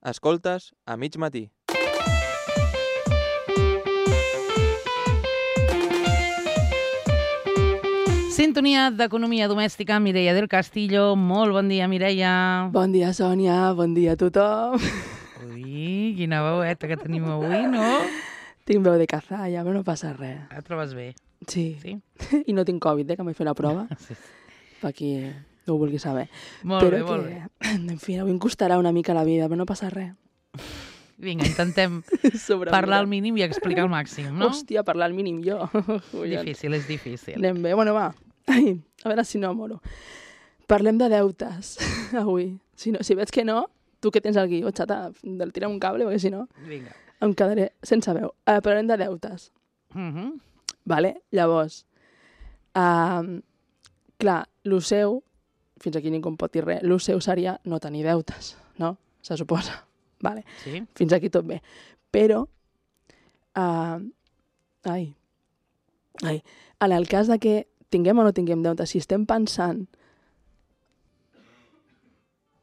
Escoltes a mig matí. Sintonia d'Economia Domèstica, Mireia del Castillo. Molt bon dia, Mireia. Bon dia, Sònia. Bon dia a tothom. Ui, quina veueta que tenim avui, no? Tinc veu de cazalla, però no passa res. Et trobes bé? Sí. Sí? I no tinc Covid, que m'he fet la prova. Sí. Per qui no ho vulgui saber. Molt però bé, molt bé. En fi, avui em costarà una mica la vida, però no passa res. Vinga, intentem parlar al mínim i explicar al màxim, no? Hòstia, parlar al mínim jo. Difícil, és difícil. Anem bé. Bueno, va. Ai, a veure si no moro. Parlem de deutes avui. Si veig que no, tu que tens el guió, xata, del tira un cable, perquè si no Vinga. em quedaré sense veu. Parlem de deutes. Vale? Llavors, clar, lo seu, fins aquí ningú em pot dir res, lo seu seria no tenir deutes, no? Se suposa. Vale. Sí? Fins aquí tot bé. Però, en el cas de que tinguem o no tinguem deutes, si estem pensant...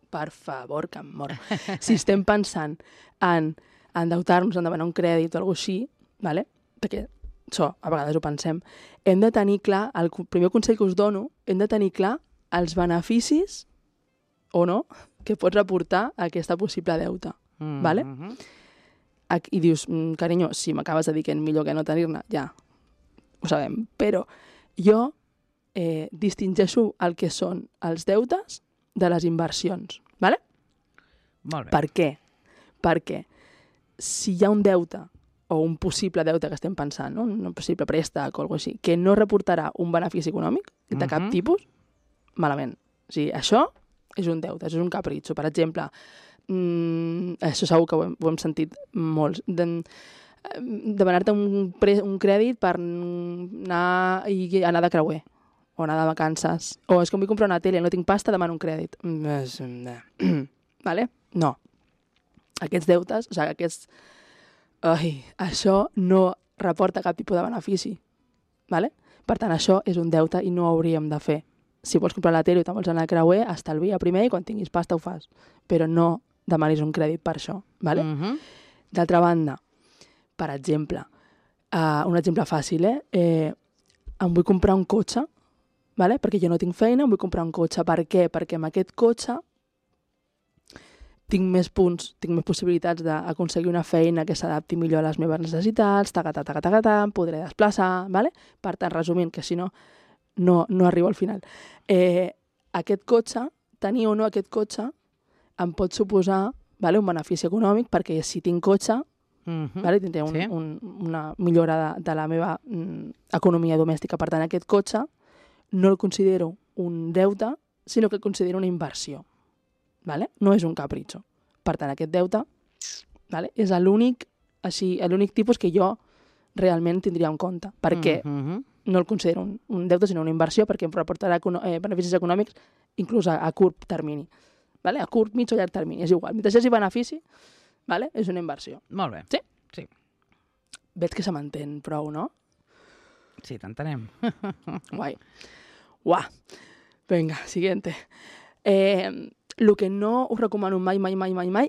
Per favor, que em moro. Si estem pensant en endeutar-nos, en demanar un crèdit o alguna cosa així, vale? Perquè això, a vegades ho pensem, hem de tenir clar, el primer consell que us dono, hem de tenir clar els beneficis o no que pots reportar a aquesta possible deuta. Vale? I dius, carinyo, si m'acabes de dir que és millor que no tenir-ne, ja, ho sabem. Però jo distingeixo el que són els deutes de les inversions. Vale? Molt bé. Per què? Perquè si hi ha un deute o un possible deute que estem pensant, no? Un possible préstec o alguna cosa així, que no reportarà un benefici econòmic de cap tipus, malament. O sigui, això és un deute, això és un capritxo. Per exemple, això segur que ho hem sentit molts, demanar-te un crèdit per anar de creuer o anar de vacances, o és que em vull comprar una tele, no tinc pasta, demano un crèdit. Vale? No. Aquests deutes, o sigui, això no reporta cap tipus de benefici. Vale? Per tant, això és un deute i no ho hauríem de fer. Si vols comprar la tele i te'n vols anar a creuer, estalvia primer i quan tinguis pasta ho fas. Però no demanis un crèdit per això. Vale? D'altra banda, per exemple, un exemple fàcil, em vull comprar un cotxe, vale? Perquè jo no tinc feina, em vull comprar un cotxe. Per què? Perquè amb aquest cotxe tinc més punts, tinc més possibilitats d'aconseguir una feina que s'adapti millor a les meves necessitats, em podré desplaçar, vale? Per tant, resumint, que si no arribo al final. Aquest cotxe, tenir o no aquest cotxe, em pot suposar, vale, un benefici econòmic, perquè si tinc cotxe, vale, tindré una millora de la meva economia domèstica. Per tant, aquest cotxe no el considero un deute, sinó que el considero una inversió. Vale? No és un capritxo. Per tant, aquest deute, vale, és l'únic tipus que jo realment tindria en compte. Perquè no el considero un deute, sinó una inversió, perquè em reportarà beneficis econòmics inclús a curt termini. Vale? A curt, mig o llarg termini, és igual. Mentre hi hagi benefici, vale? És una inversió. Molt bé. Sí? Sí. Veig que se m'entén prou, no? Sí, t'entenem. Guai. Uah. Vinga, siguiente. El que no us recomano mai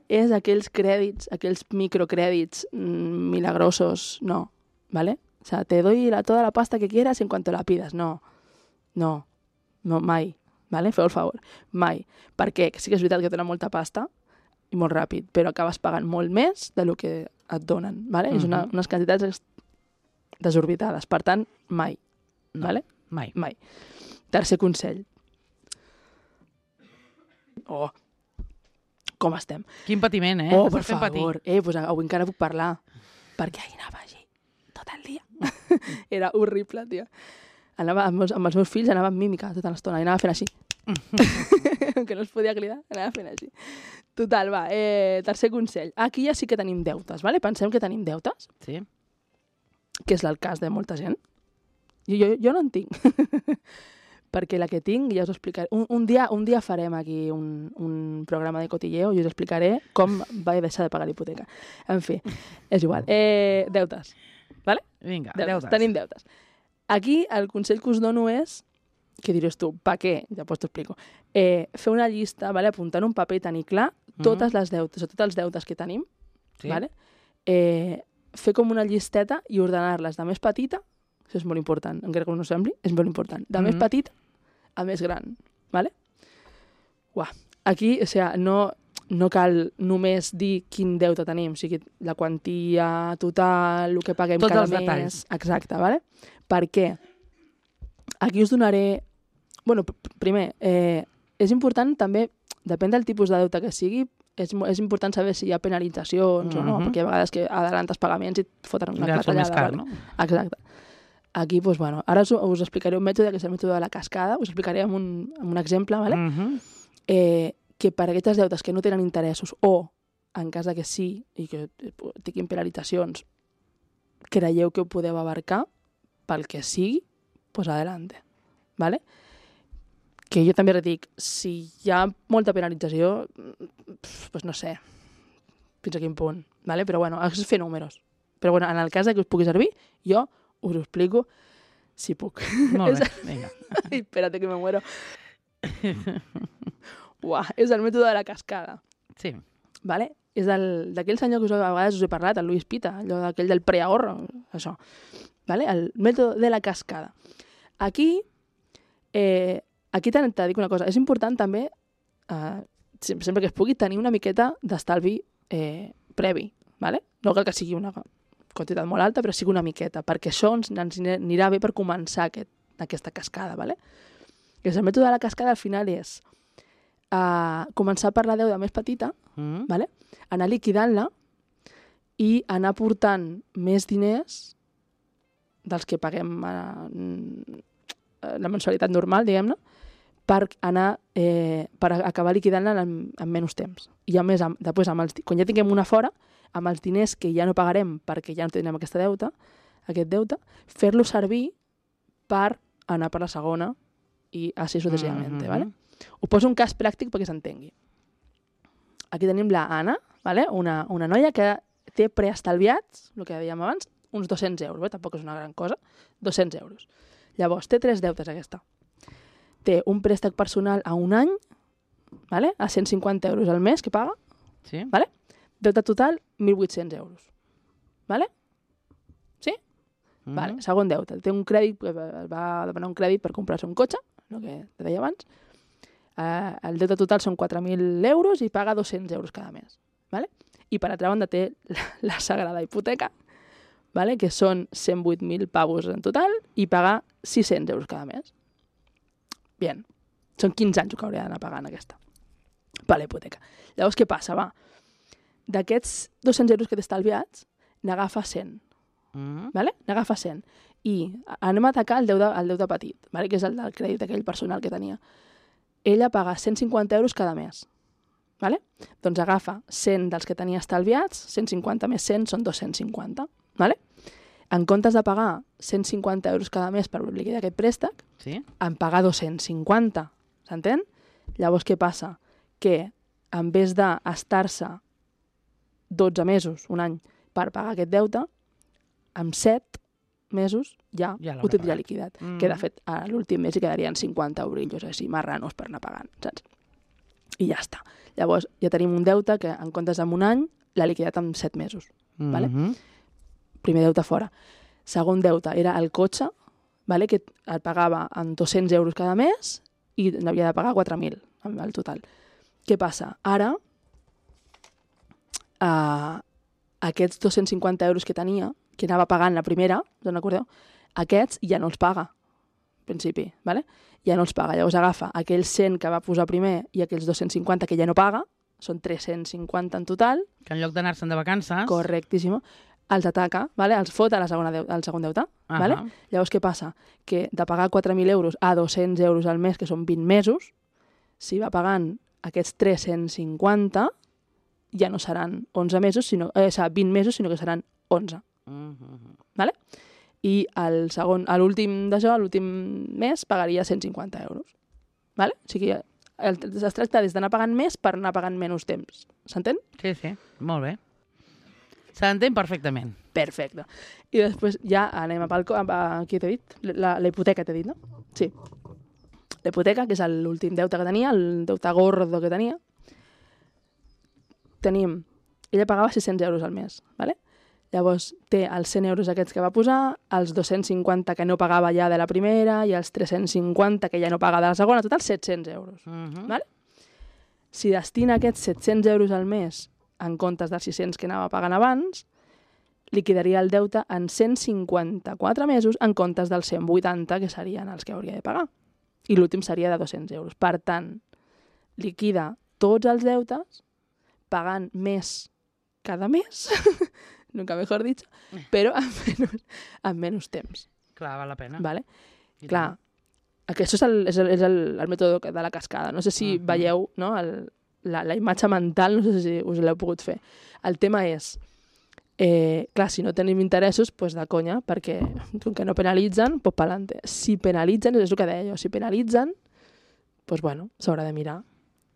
és aquells crèdits, aquells microcrèdits milagrosos, no, ¿vale? O sea, te doy toda la pasta que quieras en cuanto la pidas, no, mai, ¿vale? Feu el favor, mai. Perquè sí que és veritat que tenen molta pasta i molt ràpid, però acabes pagant molt més del que et donen, ¿vale? És unes quantitats desorbitades, per tant, mai, no, ¿vale? Mai. Tercer consell. Oh, com estem? Quin patiment, Oh, per favor. Pues avui encara puc parlar. Perquè ahir anava així, tot el dia. Era horrible, tia. Anava amb els meus fills, anava amb mímica tota l'estona, i anava fent així. Que no es podia cridar, anava fent així. Total, va, tercer consell. Aquí ja sí que tenim deutes, vale? Pensem que tenim deutes. Sí. Que és el cas de molta gent. Jo no en tinc. Perquè la que tinc ja us explicaré. Un dia farem aquí un programa de cotilleo i us explicaré com vaig deixar de pagar l'hipoteca. En fi, és igual. Deutes, vale? Vinga, deutes. Tenim deutes. Aquí el consell que us dono és què diries tu? Per què? Després t'ho explico. Fer una llista, vale? Apuntar en un paper i tenir clar totes les deutes, o tots els deutes que tenim, Sí. vale? Fer com una llisteta i ordenar-les de més petita, això és molt important, encara que no sembli, és molt important, de més petita a més gran, vale? Uah. Aquí, o sigui, no cal només dir quin deute tenim, o sigui, la quantia total, el que paguem Tots cada els mes. detalls. Exacte, vale? Per què? Aquí us donaré... Bueno, primer, és important també, depèn del tipus de deute que sigui, és important saber si hi ha penalitzacions o no, perquè hi ha vegades que adelantes pagaments i et foten una Ja són més clatellada. car, Vale? no? Exacte. Aquí, doncs, bueno, ara us explicaré un mètode que és el mètode de la cascada, us explicaré amb un exemple, vale? Que per aquests deutes que no tenen interessos o, en cas de que sí, i que tinguin penalitzacions, creieu que ho podeu abarcar, pel que sigui, pues adelante, ¿vale? Que jo també dic, si hi ha molta penalització, pues no sé fins a quin punt, ¿vale? Però bueno, és fer números. Però bueno, en el cas de que us pugui servir, jo us ho explico si puc. Molt bé, vinga. Ai, espérate que me muero. Uah, és el mètode de la cascada, Sí. ¿vale? És d'aquell senyor que a vegades us he parlat, el Luis Pita, allò d'aquell del preahorro, això. ¿Vale? El mètode de la cascada. Aquí t'he de dir una cosa, és important també, sempre que es pugui, tenir una miqueta d'estalvi previ, ¿vale? No cal que sigui una quantitat molt alta, però sigui una miqueta, perquè això ens anirà bé per començar aquesta cascada, ¿vale? I el mètode de la cascada al final és començar per la deuda més petita, ¿vale? Anar liquidant-la i anar portant més diners dels que paguem la mensualitat normal, diguem-ne, per acabar liquidant-la en menys temps. I a més, després, quan ja tinguem una fora, amb els diners que ja no pagarem perquè ja no tindrem aquest deute, fer-lo servir per anar per la segona i així successivament, ¿vale? Us poso un cas pràctic perquè s'entengui. Aquí tenim la Anna, ¿vale? una noia que té preestalviats, el que dèiem abans, uns 200 euros, tampoc és una gran cosa, 200 euros. Llavors, té 3 deutes aquesta. Té un préstec personal a un any, ¿vale? A 150 euros al mes que paga, Sí. ¿vale? Deute total, 1.800 euros. ¿Vale? Sí? Vale. Segon deute. Té un crèdit, va demanar un crèdit per comprar-se un cotxe, el que te deia abans. El deute total són 4.000 euros i paga 200 euros cada mes. ¿Vale? I per altra banda té la sagrada hipoteca, ¿vale? Que són 108.000 pavos en total i paga 600 euros cada mes. Bien. Són 15 anys que hauria d'anar pagant aquesta per la hipoteca. Llavors, què passa? Va, d'aquests 200 euros que té estalviats, n'agafa 100. ¿Vale? N'agafa 100. I anem a atacar el deute petit, ¿vale? Que és el del crèdit aquell personal que tenia. Ella paga 150 euros cada mes. ¿Vale? Doncs agafa 100 dels que tenia estalviats, 150 més 100 són 250. ¿Vale? En comptes de pagar 150 euros cada mes per liquidar aquest préstec, Sí. en pagar 250. S'entén? Llavors, què passa? Que en vez d'estar-se 12 mesos, un any, per pagar aquest deute, en 7 mesos ja Ja ho tindria pagat. liquidat. Que, de fet, a l'últim mes hi quedarien 50 eurillos així, marranos per anar pagant, saps? I ja està. Llavors, ja tenim un deute que, en comptes d'un any, l'ha liquidat en 7 mesos. Vale? Primer deute fora. Segon deute era el cotxe, vale? Que el pagava en 200 euros cada mes i n'havia de pagar 4.000 en el total. Què passa? Ara, aquests 250 euros que tenia, que anava pagant la primera, us recordeu? Aquests ja no els paga, en principi, ¿vale? Ja no els paga. Llavors agafa aquells 100 que va posar primer i aquells 250 que ja no paga, són 350 en total. Que en lloc d'anar-se'n de vacances... Correctíssim. Els ataca, ¿vale? Els fot al segon deute. ¿Vale? Llavors, què passa? Que de pagar 4.000 euros a 200 euros al mes, que són 20 mesos, si va pagant aquests 350, ja no seran 11 mesos, 20 mesos, sinó que seran 11. ¿Vale? I l'últim d'això, l'últim mes, pagaria 150 euros. ¿Vale? O sigui, es tracta des d'anar pagant més per anar pagant menys temps. S'entén? Sí, sí, molt bé. S'entén perfectament. Perfecte. I després ja anem aquí t'he dit, la hipoteca t'he dit, no? Sí. l'hipoteca, que és l'últim deute que tenia, el deute gordo que tenia, ella pagava 600 euros al mes, ¿vale? Llavors té els 100 euros aquests que va posar, els 250 que no pagava ja de la primera i els 350 que ja no paga de la segona, total 700 euros. ¿Vale? Si destina aquests 700 euros al mes en comptes dels 600 que anava pagant abans, liquidaria el deute en 154 mesos en comptes dels 180 que serien els que hauria de pagar. I l'últim seria de 200 euros. Per tant, liquida tots els deutes pagant més cada mes, nunca mejor dicho, però amb menys temps. Clar, val la pena. Vale? Clar, aquest és el mètode de la cascada. No sé si veieu, no, la imatge mental, no sé si us l'heu pogut fer. El tema és, clar, si no tenim interessos, doncs de conya, perquè com que no penalitzen, doncs pa'lante. Si penalitzen, és el que deia jo, si penalitzen, doncs bueno, s'haurà de mirar.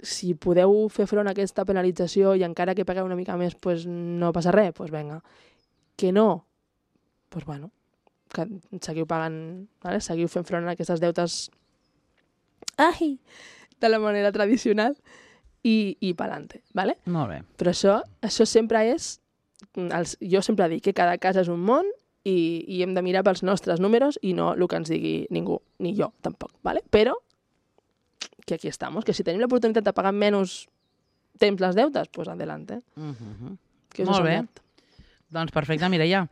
Si podeu fer front a aquesta penalització i encara que pagueu una mica més, doncs no passa res, doncs vinga. Que no, doncs bueno, que seguiu pagant, ¿vale? Seguiu fent front a aquestes deutes de la manera tradicional i pa'lante, ¿vale? Molt bé. Però això sempre és, jo sempre dic que cada cas és un món i hem de mirar pels nostres números i no el que ens digui ningú, ni jo tampoc, ¿vale? Però que aquí estamos, que si tenim l'oportunitat de pagar menys temps les deutes, doncs adelante. Que molt bé. Doncs perfecte, Mireia.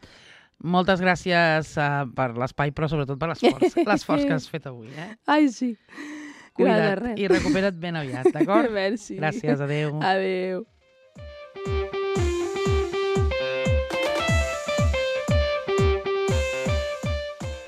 Moltes gràcies per l'espai, però sobretot per l'esforç que has fet avui. Ai, sí. Cuida't i recupera't ben aviat, d'acord? Merci. Gràcies, adéu. Adéu.